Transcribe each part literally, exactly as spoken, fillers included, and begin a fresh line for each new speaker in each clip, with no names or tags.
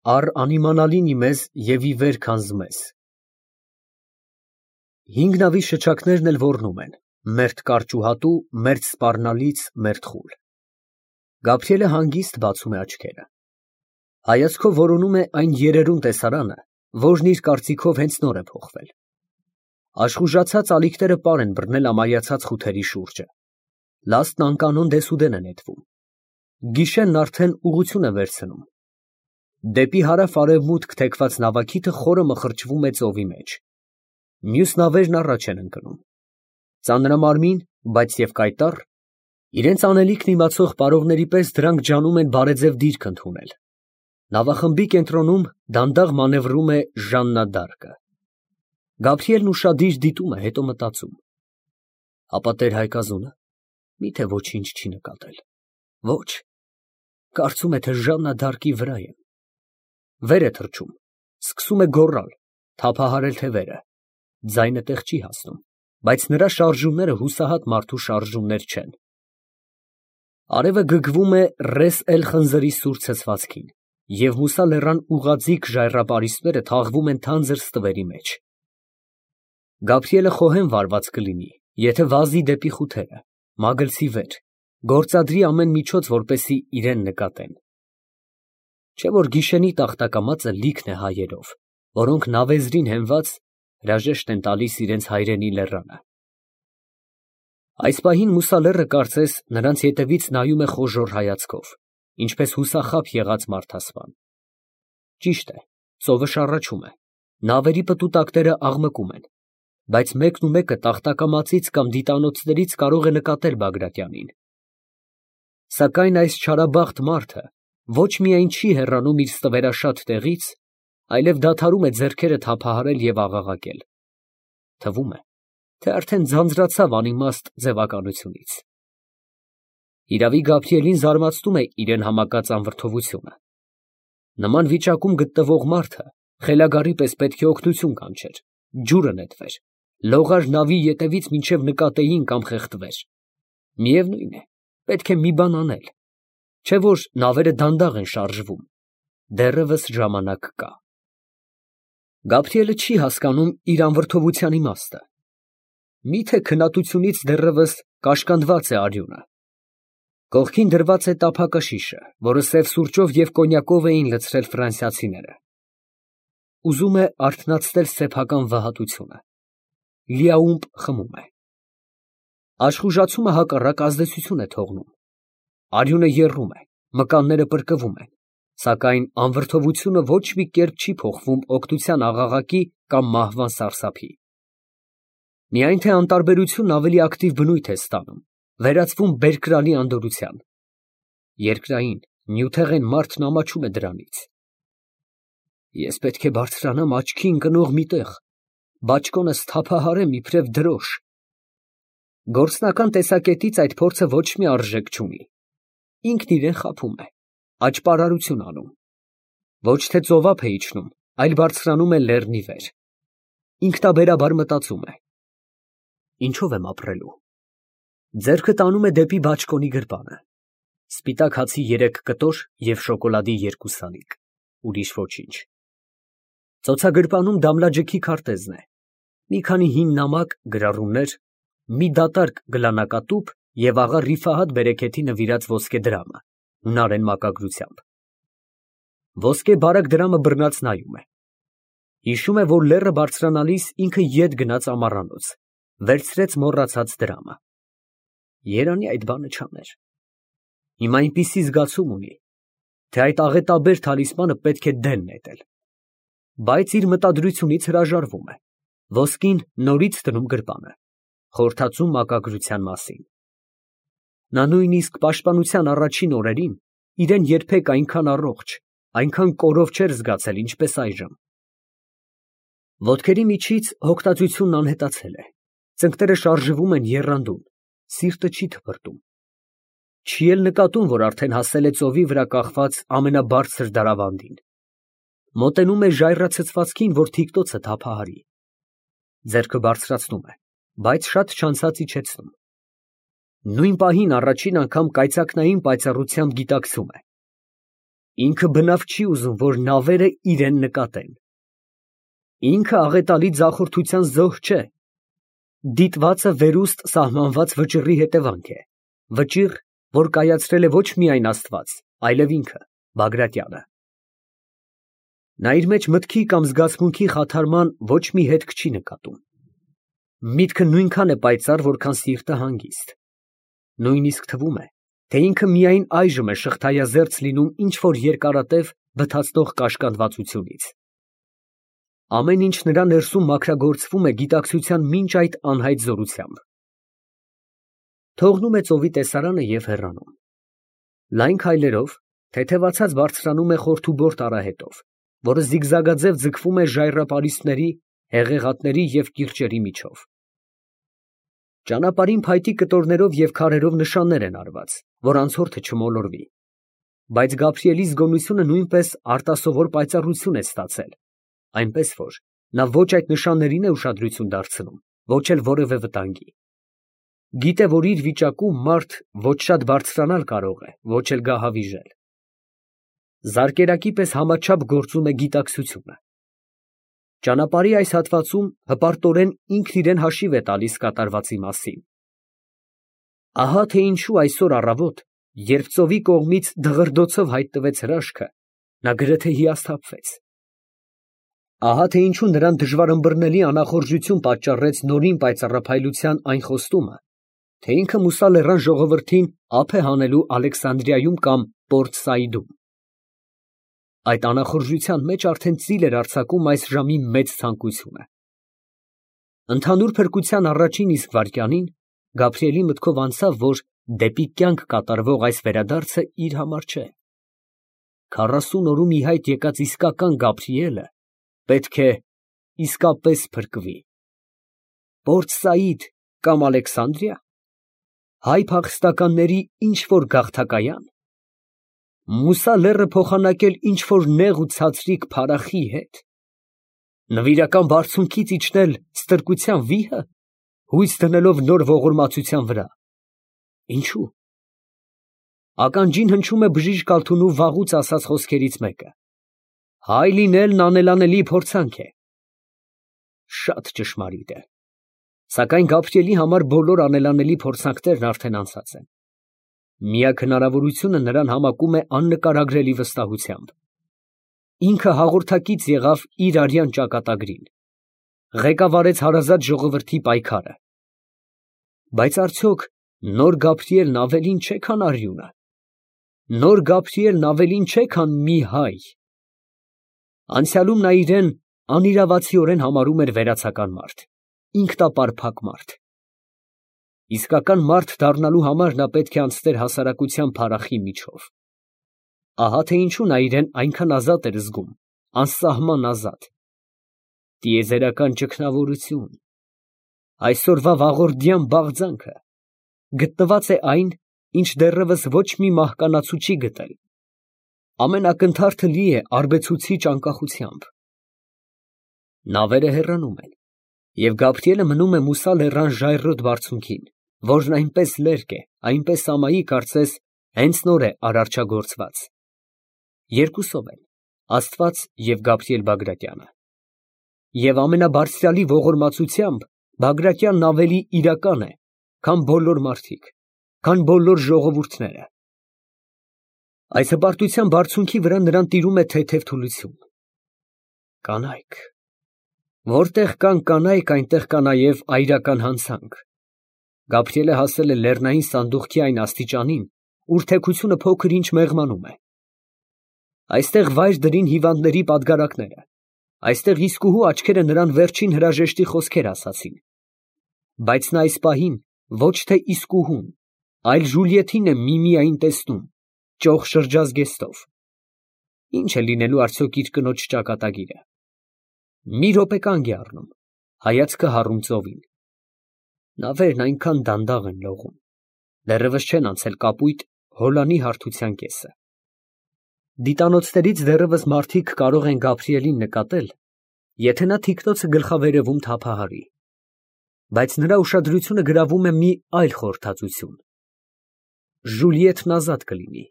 Առ անիմանալին իմեզ և ի վեր քանզմես։ Հինգ նավի շչակներն էլ ոռնում են, մերթ կարճ ու հատու, մերթ սպառնալից, մերթ խուլ։ Գաբրիելը հանգիստ բացում է աչքերը։ Հայացքով որոնում է այն երերուն տեսարանը, որն իր կարծիքով հենց նոր է փոխվել։ Աշխուժացած ալիքները պար են բռնել ամայացած խութերի շուրջը։ Լաստն անկանոն դեսուդեն է նետվում։ Գիշերն արդեն ուղղություն է վերցնում։ Դեպի հարավ֊արևմուտք թեքված նավակիթը խորը մխրճվում է ծովի մեջ։ Մյուս նավերն առաջ են ընկնում։ Ծանրամարմին, բայց և կայտառ, իրենց անելիքն իմացող պարողների պես դրանք ջանում են բարեձև դիրք ընդունել։ Նավախմբի կենտրոնում դանդաղ մանևրում է Ժաննա դ'Արկը։ Գաբրիելն ուշադիր դիտում է, հետո մտածում. հապա տեր֊հայկազունը մի՞թե ոչինչ չի նկատել։ Ոչ, կարծում է, թե Ժաննա դ'Արկի վրա եմ։ Վեր է թռչում, սկսում է գոռալ, թափահարել թևերը, ձայնը տեղ չի հասնում, բայց նրա շարժումները հուսահատ մարդու շարժումներ չեն։ Արևը գգվում է Ռես էլ խնձրի սուր ցցվածքին, և Մուսա լեռան ուղղաձիգ ժայռապարիսպները թաղվում են թանձր ստվերի մեջ։ Գաբրիելը խոհեմ վարված կլինի, եթե վազի դեպի խութերը, մագլցի վեր, գործադրի ամեն միջոց, որպեսզի իրան նկատեն։ Չէ՞ որ գիշենի տախտակամածը լիքն է հայերով, որոնք նավեզրին հենված հրաժեշտ են տալիս իրենց հայրենի լեռանը։ Այս պահին Մուսա լեռը կարծես նրանց ետևից նայում է խոժոռ հայացքով, ինչպես հուսախաբ եղած մարդասպան։ Ճիշտ է, ծովը շառաչում է, նավերի պտուտակները աղմկում են, բայց մեկն ու մեկը տախտակամածից կամ դիտանոցներից կարող է նկատել Բագրատյանին։ Սակայն այս չարաբախտ մարդը ոչ միայն չի հեռանում իր ստվերաշատ տեղից, այլև դադարում է ձեռքերը թափահարել և աղաղակել։ Թվում է, թե արդեն ձանձրացավ անիմաստ ձևականությունից։ Իրավի Գաբրիելին զարմացնում է իրան համակած անվրդովությունը։ Նման վիճակում գտնվող մարդը խելագարի պես պետք է օգնություն կանչեր, ջուրը նետվեր, լողար նավի ետևից մինչև նկատեին կամ խեղդվեր։ Միևնույն է, պետք է մի բան անել, չէ՞ որ նավերը դանդաղ են շարժվում, դեռևս ժամանակ կա։ Գաբրիելը չի հասկանում իր անվրդովության իմաստը։ Մի՞թե քննատությունից դեռևս կաշկանդված է արյունը։ Կողքին դրված է տափակաշիշը, որը սև սուրճով և կոնյակով էին լցրել ֆրանսիացիները։ Ուզում է արթնացնել սեփական վհատությունը։ Լիաումպ խմում է։ Աշխուժացումը հակառակ ազդեցություն է թողնում։ Արյունը եռում է, մկանները պրկվում են, սակայն անվրդովությունը ոչ մի կերպ չի փոխվում օգնության աղաղակի կամ մահվան սարսափի։ Միայն թե անտարբերությունն ավելի ակտիվ բնույթ է ստանում, վերածվում բերկրալի անդորրության։ Երկրային, նյութեղեն մարդն ամաչում է դրանից։ Ես պետք է բարձրանամ աչքի ընկնող մի տեղ, բաճկոնս թափահարեմ իբրև դրոշ։ Գործնական տեսակետից այդ փորձը ոչ մի արժեք չունի։ Ինքն իրան խաբում է, աճպարարություն անում։ Ոչ թե ծովափ է իջնում, այլ բարձրանում է լեռնի վեր։ Ինքնաբերաբար մտածում է. ինչով եմ ապրելու։ Ձեռքը տանում է դեպի բաճկոնի գրպանը։ Սպիտակ հացի երեք կտոր և շոկոլադի երկու սանիկ, ուրիշ ոչինչ։ Ծոցագրպանում դամլաջքի քարտեզն է, մի քանի հին նամակ, գրառումներ, մի դատարկ գլանակատուփ և աղա Ռիֆահաթ բերեքեթի նվիրած ոսկե դրամը հունարեն մակագրությամբ։ Ոսկե բարակ դրամը բռնած նայում է։ Հիշում է, որ լեռը բարձրանալիս ինքը ետ գնաց ամառանոց, վերցրեց մոռացած դրամը։ Երանի այդ բանը չաներ։ Հիմա այնպիսի զգացում ունի, թե այդ աղետաբեր թալիսմանը պետք է դեն նետել։ Բայց իր մտադրությունից հրաժարվում է, ոսկին նորից դնում գրպանը, խորհրդածում մակագրության մասին։ Նա նույնիսկ պաշտպանության առաջին օրերին իրան երբեք այնքան առողջ, այնքան կորով չէր զգացել, ինչպես այժմ։ Ոտքերի միջից հոգտածությունն անհետացել է, ծնկները շարժվում են եռանդուն, սիրտը չի թպրտում։ Չի էլ նկատում, որ արդեն հասել է ծովի վրա կախված ամենաբարձր դարավանդին։ Մոտենում է ժայռացցվածքին, որ թիկտոցը թափահարի։ Ձեռքը բարձրացնում է, բայց շատ չանցած իջեցնում։ Նույն պահին առաջին անգամ կայծակնային պայծառությամբ գիտակցում է. Ինքը բնավ չի ուզում, որ նավերը իրեն նկատեն։ Ինքը աղետալի ձախորդության զոհ չէ։ Դիտվածը վերուստ սահմանված վճռի հետևանք է, վճիռ, որ կայացրել է ոչ միայն Աստված, այլև ինքը, Բագրատյանը։ Նա իր մեջ մտքի կամ զգացմունքի խաթարման ոչ մի հետք չի նկատում։ Միտքը նույնքան է պայծառ, որքան սիրտը հանգիստ։ Նույնիսկ թվում է, թե ինքը միայն այժմ է շղթայազերծ լինում ինչ-որ երկարատև բթացնող կաշկանդվածությունից։ Ամեն ինչ նրա ներսում մաքրագործվում է գիտակցության մինչ այդ անհայտ զորությամբ։ Թողնում է ծովի տեսարանը և հեռանում։ Լայն քայլերով թեթևացած բարձրանում է խորթուբորտ արահետով, որը զիգզագաձև ձգվում է ժայռապարիսպների, հեղեղատների և կիրճերի միջով։ Ճանապարհին փայտի կտորներով և քարերով նշաններ են արված, որ անցորդը չմոլորվի, բայց Գաբրիելի զգոնությունը նույնպես արտասովոր պայծառություն է ստացել, այնպես որ նա ոչ այդ նշաններին է ուշադրություն դարձնում, ոչ էլ որևէ վտանգի։ Գիտե, որ իր վիճակում մարդ ոչ շատ բարձրանալ կարող է, ոչ էլ գահավիժել։ Զարկերակի պես համաչափ գործում է գիտակցությունը։ Ճանապարհի այս հատվածում հպարտորեն ինքն իրեն հաշիվ է տալիս կատարվածի մասին։ Ահա թե ինչու այսօր առավոտ, երբ ծովի կողմից դղրդոցով հայտնվեց հրաշքը, նա գրեթե հիասթափվեց։ Ահա թե ինչու նրան դժվար ըմբռնելի անախորժություն պատճառեց նորին պայծառափայլության այն խոստումը, թե ինքը Մուսա լեռան ժողովրդին ափ է հանելու Ալեքսանդրիայում կամ Պորտ Սաիդում։ Այդ անախորժության մեջ արդեն ծիլ էր արձակում այս ժամի մեծ ցանկությունը։ Ընդհանուր փրկության առաջին իսկ վայրկյանին Գաբրիելի մտքով անցավ, որ դեպի կյանք կատարվող այս վերադարձը իր համար չէ։ Քառասուն օրում ի հայտ եկած իսկական Գաբրիելը պետք է իսկապես փրկվի։ Պորտ Սաիդ կամ Ալեքսանդրիա, հայ փախստականների ինչ֊որ գաղթակայան, Մուսա լեռը փոխանակել ինչ֊որ նեղ ու ցածրիկ փարախի հետ, նվիրական բարձունքից իջնել ստրկության վիհը, հույս դնելով նոր ողորմածության վրա։ Ինչո՞ւ։ Ականջին հնչում է բժիշկ Ալթունու վաղուց ասած խոսքերից մեկը. հայ լինելն անելանելի փորձանք է։ Շատ ճշմարիտ է, սակայն Գաբրիելի համար բոլոր անելանելի փորձանքներն արդեն անցած են։ Միակ հնարավորությունը նրան համակում է աննկարագրելի վստահությամբ։ Ինքը հաղորդակից եղավ իր արյան ճակատագրին, ղեկավարեց հարազատ ժողովրդի պայքարը։ Բայց արդյոք նոր Գաբրիելն ավելին չէ, քան արյունը։ Նոր Գաբրիելն ավելին չէ, քան մի հայ։ Անցյալում նա իրեն անիրավացիորեն համարում էր վերացական մարդ, ինքնապարփակ մարդ։ Իսկական մարդ դառնալու համար նա պետք է անցներ հասարակության փարախի միջով։ Ահա թե ինչու նա իրեն այնքան ազատ էր զգում, անսահման ազատ։ Տիեզերական ճգնավորություն, այսօրվա վաղորդյան բաղձանքը, գտնված է այն, ինչ դեռևս ոչ մի մահկանացու չի գտել։ Ամեն ակնթարթը լի է արբեցուցիչ անկախությամբ։ Նավերը հեռանում են, և Գաբրիելը մնում է Մուսա լեռան ժայռոտ բարձունքին, որն այնպես լերկ է, այնպես ամայի, կարծես հենց նոր է արարչագործված։ Երկուսով են, Աստված և Գաբրիել Բագրատյանը։ Եվ ամենաբարձրալի ողորմածությամբ Բագրատյանն ավելի իրական է, քան բոլոր մարդիկ, քան բոլոր ժողովուրդները։ Այս հպարտության բարձունքի վրա նրան տիրում է թեթև թուլություն։ Կանայք։ Որտեղ կան կանայք, այնտեղ կա նաև այրական հանցանք։ Գաբրիելը հասել է լեռնային սանդուղքի այն աստիճանին, ուր թեքությունը փոքր ինչ մեղմանում է։ Այստեղ վայր դրին հիվանդների պատգարակները, այստեղ իսկուհու աչքերը նրան վերջին հրաժեշտի խոսքեր ասացին։ Բայց նա այս պահին ոչ թե իսկուհուն, այլ Ժուլիեթին է միմիային տեսնում, ճոխ շրջազգեստով։ Ինչ է լինելու արդյոք իր կնոջ ճակատագիրը։ Մի րոպե կանգ է առնում, հայացքը հառում ծովին։ Նավերն այնքան դանդաղ են լողում, դեռևս չեն անցել կապույտ հոլանի հարթության կեսը։ Դիտանոցներից դեռևս մարդիկ կարող են Գաբրիելին նկատել, եթե նա թիկնոցը գլխավերևում թափահարի։ Բայց նրա ուշադրությունը գրավում է մի այլ խորհրդածություն։ Ժուլիեթն ազատ կլինի,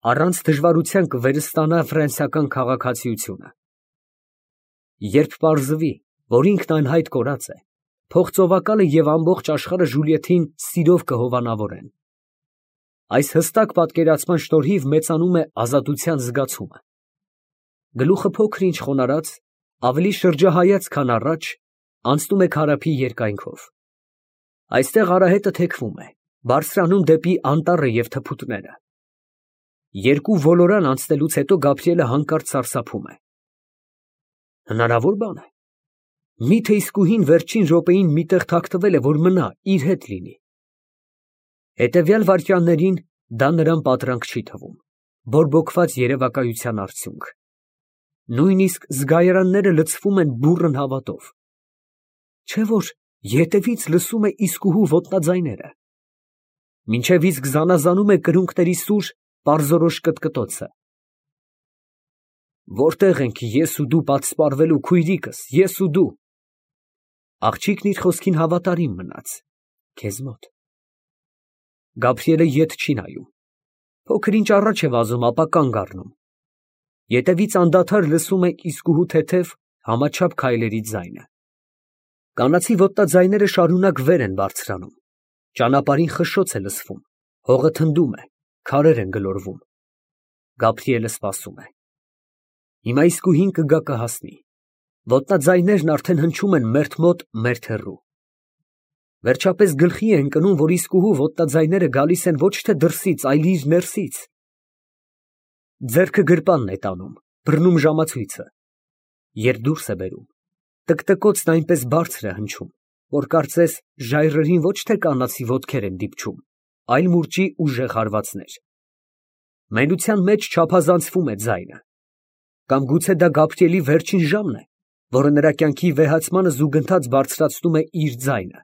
առանց դժվարության կվերստանա ֆրանսիական քաղաքացիությունը։ Երբ պարզվի, որ ինքն անհայտ կորած է, փողծովակալը և ամբողջ աշխարհը Ժուլիեթին սիրով կհովանավորեն։ Այս հստակ պատկերացման շնորհիվ մեծանում է ազատության զգացումը։ Գլուխը փոքր ինչ խոնարհած, ավելի շրջահայաց, քան առաջ, անցնում է քարափի երկայնքով։ Այստեղ արահետը թեքվում է, բարձրանում դեպի անտառը և թփուտները։ Երկու ոլորան անցնելուց հետո Գաբրիելը հանկարծ սարսափում է։ Հնարավոր բան է։ Մի՞թե իսկույն վերջին րոպեին մի տեղ թաքնվել է, որ մնա, իր հետ լինի։ Հետևյալ վայրկյաններին դա նրան պատրանք չի թվում, բորբոքված երևակայության արդյունք։ Նույնիսկ զգայարանները լցվում են բուռն հավատով։ Չէ՞ որ ետևից լսում է իսկուհու ոտնաձայները։ Մինչև իսկ զանազանում է կրունկների սուր, պարզորոշ կտկտոցը։ Որտե՞ղ ենք ես ու դու պատսպարվելու, քույրիկս, ես ու դու։ Աղջիկն իր խոսքին հավատարիմ մնաց, քեզ մոտ։ Գաբրիելը ետ չի նայում։ Փոքր ինչ առաջ է վազում, ապա կանգ առնում։ Ետևից անդադար լսում է իսկուհու թեթև, համաչափ քայլերի ձայնը։ Կանացի ոտնաձայները շարունակ վեր են բարձրանում։ Ճանապարհին խշշոց է լսվում, հողը թնդում է, քարեր են գլորվում։ Գաբրիելը սպասում է։ Հիմա իսկուհին կգա կհասնի։ Ոտնաձայներն արդեն հնչում են մերթ մոտ, մերթ հեռու։ Վերջապես գլխի է ընկնում, որ իսկուհու ոտնաձայները գալիս են ոչ թե դրսից, այլ իր ներսից։ Ձեռքը գրպանն է տանում, բռնում ժամացույցը։ Երբ դուրս է բերում, տկտկոցն այնպես բարձր է հնչում, որ կարծես ժայռերին ոչ թե կանացի ոտքեր են դիպչում, այլ մուրճի ուժեղ հարվածներ։ Մենության մեջ չափազանցվում է ձայնը։ Կամ գուցե դա Գաբրիելի վերջին ժամն է, որը նրա կյանքի վեհացմանը զուգընթաց բարձրացնում է իր ձայնը։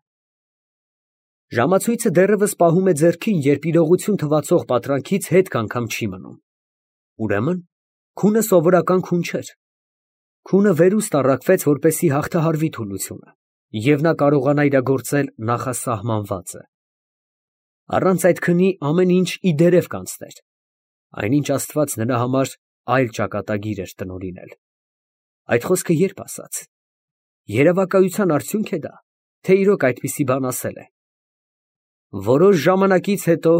Ժամացույցը դեռևս պահում է ձեռքին, երբ իրողություն թվացող պատրանքից հետք անգամ չի մնում։ Ուրեմն, քունը սովորական քուն չէր։ Քունը վերուստ առաքվեց, որպեսզի հաղթահարվի թուլությունը, և նա կարողանա իրագործել նախասահմանվածը։ Առանց այդ քնի ամեն ինչ ի դերև կանցներ, այնինչ Աստված նրա համար այլ ճակատագիր էր տնօրինել։ Այդ խոսքը երբ ասաց։ Երևակայության արդյունք է դա, թե իրոք այդպիսի բան ասել է։ Որոշ ժամանակից հետո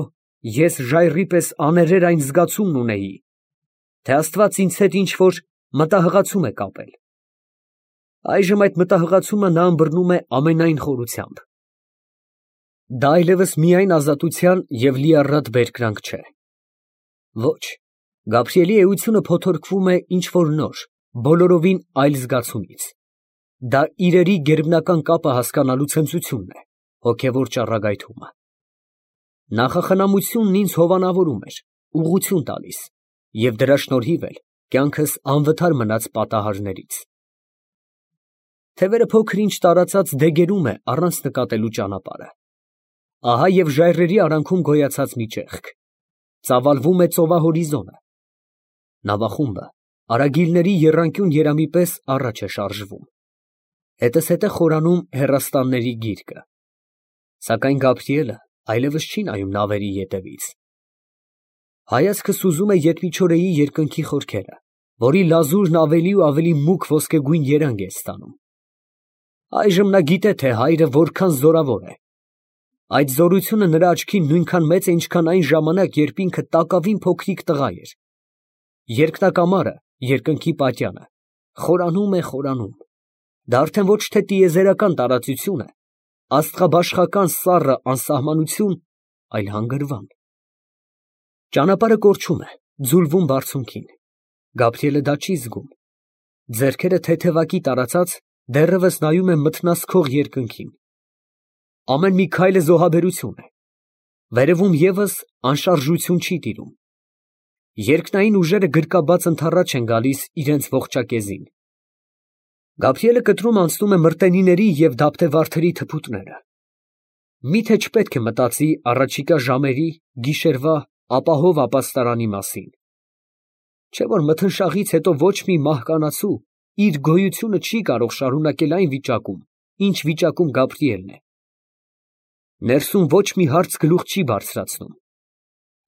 ես ժայռի պես աներեր այն զգացումն ունեի, թե Աստված ինձ հետ ինչ֊որ մտահղացում է կապել։ Այժմ այդ մտահղացումը նա ըմբռնում է ամենայն խորությամբ։ Դա այլևս միայն ազատության և լիառատ բերկրանք չէ։ Ոչ, Գաբրիելի էությունը փոթորկվում է ինչ֊որ նոր, բոլորովին այլ զգացումից։ Դա իրերի գերբնական կապը հասկանալու ցնծությունն է, հոգևոր ճառագայթումը։ Նախախնամությունն ինձ հովանավորում էր, ուղղություն տալիս, և դրա շնորհիվ էլ կյանքս անվթար մնաց պատահարներից։ Թևերը փոքր ինչ տարածած դեգերում է առանց նկատելու ճանապարհը։ Ահա և ժայռերի արանքում գոյացած մի ճեղք։ Ծավալվում է ծովահորիզոնը։ Նավախումբը արագիլների եռանկյուն երամի պես առաջ է շարժվում։ Հետզհետե խորանում հեռաստանների գիրկը։ Սակայն Գաբրիելը այլևս չի նայում նավերի ետևից։ Հայացքը սուզում է ետմիչորեի երկնքի խորքերը, որի լազուրն ավելի ու ավելի մուգ ոսկեգույն երանգ է ստանում։ Այժմ նա գիտե, թե հայրը որքան զորավոր է։ Այդ զորությունը նրա աչքին նույնքան մեծ է, ինչքան այն ժամանակ, երբ ինքը տակավին փոքրիկ տղա էր։ Երկնակամարը, երկնքի պատյանը, խորանում է, խորանում։ Դա արդեն ոչ թե տիեզերական տարածություն է, աստղաբաշխական սառը անսահմանություն, այլ հանգրվան։ Ճանապարհը կորչում է, ձուլվում բարձունքին։ Գաբրիելը դա չի զգում։ Ձեռքերը թեթևակի տարածած, դեռևս նայում է մթնասքող երկնքին։ Ամեն մի քայլը զոհաբերություն է։ Վերևում ևս անշարժություն չի տիրում։ Երկնային ուժերը գրկաբաց ընդառաջ են գալիս իրենց ողջակեզին։ Գաբրիելը կտրում անցնում է մրտենիների և դափտեվարդերի թփուտները։ Մի՞թե չպետք է մտածի առաջիկա ժամերի, գիշերվա, ապահով ապաստարանի մասին։ Չէ՞ որ մթնշաղից հետո ոչ մի մահկանացու իր գոյությունը չի կարող շարունակել այն վիճակում, ինչ վիճակում Գաբրիելն է։ Ներսում ոչ մի հարց գլուխ չի բարձրացնում։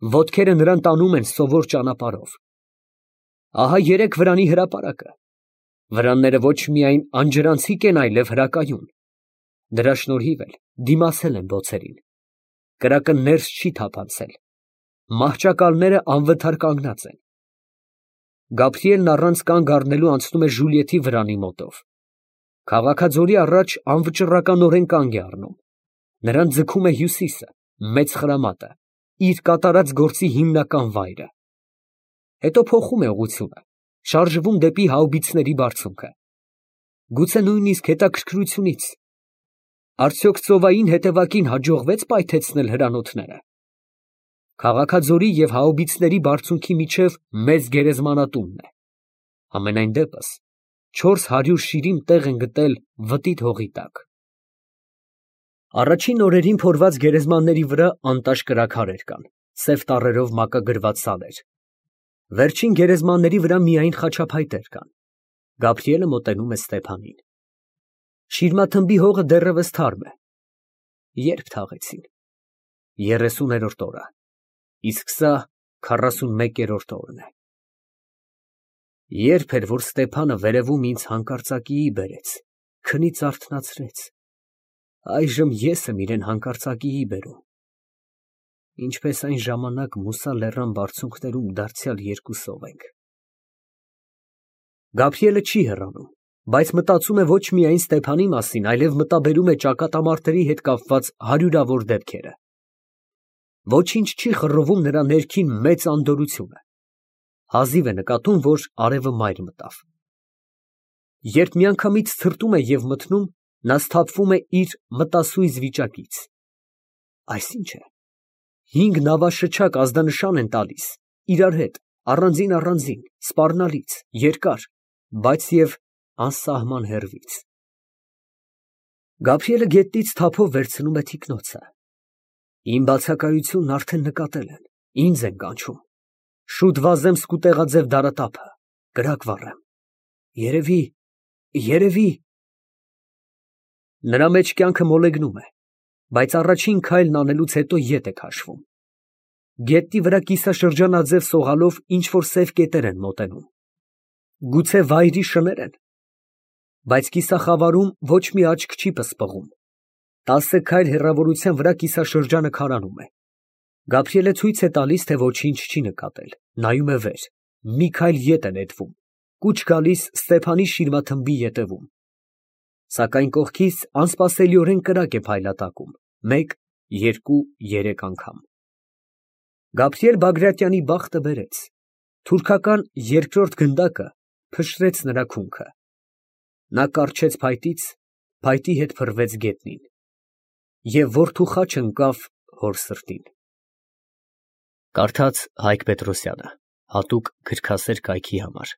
Ոտքերը նրան տանում են սովոր ճանապարհով։ Ահա երեք վրանի հրապարակը։ Վրանները ոչ միայն անջրանցիկ են, այլև հրակայուն։ Դրա շնորհիվ էլ դիմացել են բոցերին։ Կրակը ներս չի թափանցել։ Մահճակալները անվթար կանգնած են։ Գաբրիելն առանց կանգ առնելու անցնում է Ժուլիետի վրանի մոտով։ Քաղաքաձորի առաջ անվճռականորեն կանգ է առնում։ Նրան ձգում է Հյուսիսը, մեծ խրամատը, իր կատարած գործի հիմնական վայրը։ Հետո փոխում է ուղղությունը, շարժվում դեպի հաուբիցների բարձունքը։ Գուցե նույնիսկ հետաքրքրությունից։ Արդյոք ծովային հետևակին հաջողվեց պայթեցնել հրանոթները։ Քաղաքաձորի և հաուբիցների բարձունքի միջև մեծ գերեզմանատունն է։ Համենայն դեպս չորս հարյուր շիրիմ տեղ են գտել վտիտ հողի տակ։ Առաջին օրերին փորված գերեզմանների վրա անտաշ կրաքարեր կան, սև տառերով մակագրված սալեր։ Վերջին գերեզմանների վրա միայն խաչափայտեր կան։ Գաբրիելը մոտենում է Ստեփանին։ Շիրմաթմբի հողը դեռևս թարմ է։ Երբ թաղեցին։ Երեսուներորդ օրը, իսկ սա քառասունմեկերորդ օրն է։ Երբ էր, որ Ստեփանը վերևում ինձ հանկարծակիի բերեց, քնից արթնացրեց, այժմ ես եմ իրան հանկարծակիի բերում, ինչպես այն ժամանակ Մուսա լեռան բարձունքներում դարձյալ երկուսով ենք։ Գաբրիելը չի հեռանում, բայց մտածում է ոչ միայն Ստեփանի մասին, այլև մտաբերում է ճակատամարտերի հետ կապված հարյուրավոր դեպքերը։ Ոչինչ չի խռովում նրա ներքին մեծ անդորրությունը։ Հազիվ է նկատում, որ արևը մայր մտավ։ Երբ միանգամից ցրտում է և մթնում, նա սթափվում է իր մտասույզ վիճակից։ Այս ի՞նչ է։ Հինգ նավաշչակ ազդանշան են տալիս, իրար հետ, առանձին առանձին, սպառնալից, երկար, բայց և անսահման հեռվից։ Գաբրիելը գետնից թափով վերցնում է թիկնոցը։ Իմ բացակայությունն արդեն նկատել են, ինձ են կանչում։ Շուտ վազեմ սկուտեղաձև դարատափը, կրակ վառեմ։ Երևի, երևի… Նրա մեջ կյանքը մոլեգնում է, բայց առաջին քայլն անելուց հետո ետ է քաշվում։ Գետնի վրա կիսաշրջանաձև սողալով ինչ֊որ սև կետեր են մոտենում։ Գուցե վայրի շներ են։ Բայց կիսախավարում ոչ մի աչք չի պսպղում։ Տասը քայլ հեռավորության վրա կիսաշրջանը քարանում է։ Գաբրիելը ցույց է տալիս, թե ոչինչ չի նկատել, նայում է վեր, մի քայլ ետ է նետվում, կուչ գալիս Ստեփանի շիրմաթմբի ետևում։ Սակայն կողքից անսպասելիորեն կրակ է փայլատակում, մեկ, երկու, երեք անգամ։ Գաբրիել Բագրատյանի բախտը բերեց։ Թուրքական երկրորդ գնդակը փշրեց նրա քունքը։ Նա կառչեց փայտից, փայտի հետ փռվեց գետնին։ Եվ որդու խաչը ընկավ հոր սրտին։ Կարդաց Հայկ Պետրոսյանը, հատուկ գրքասեր կայքի համար։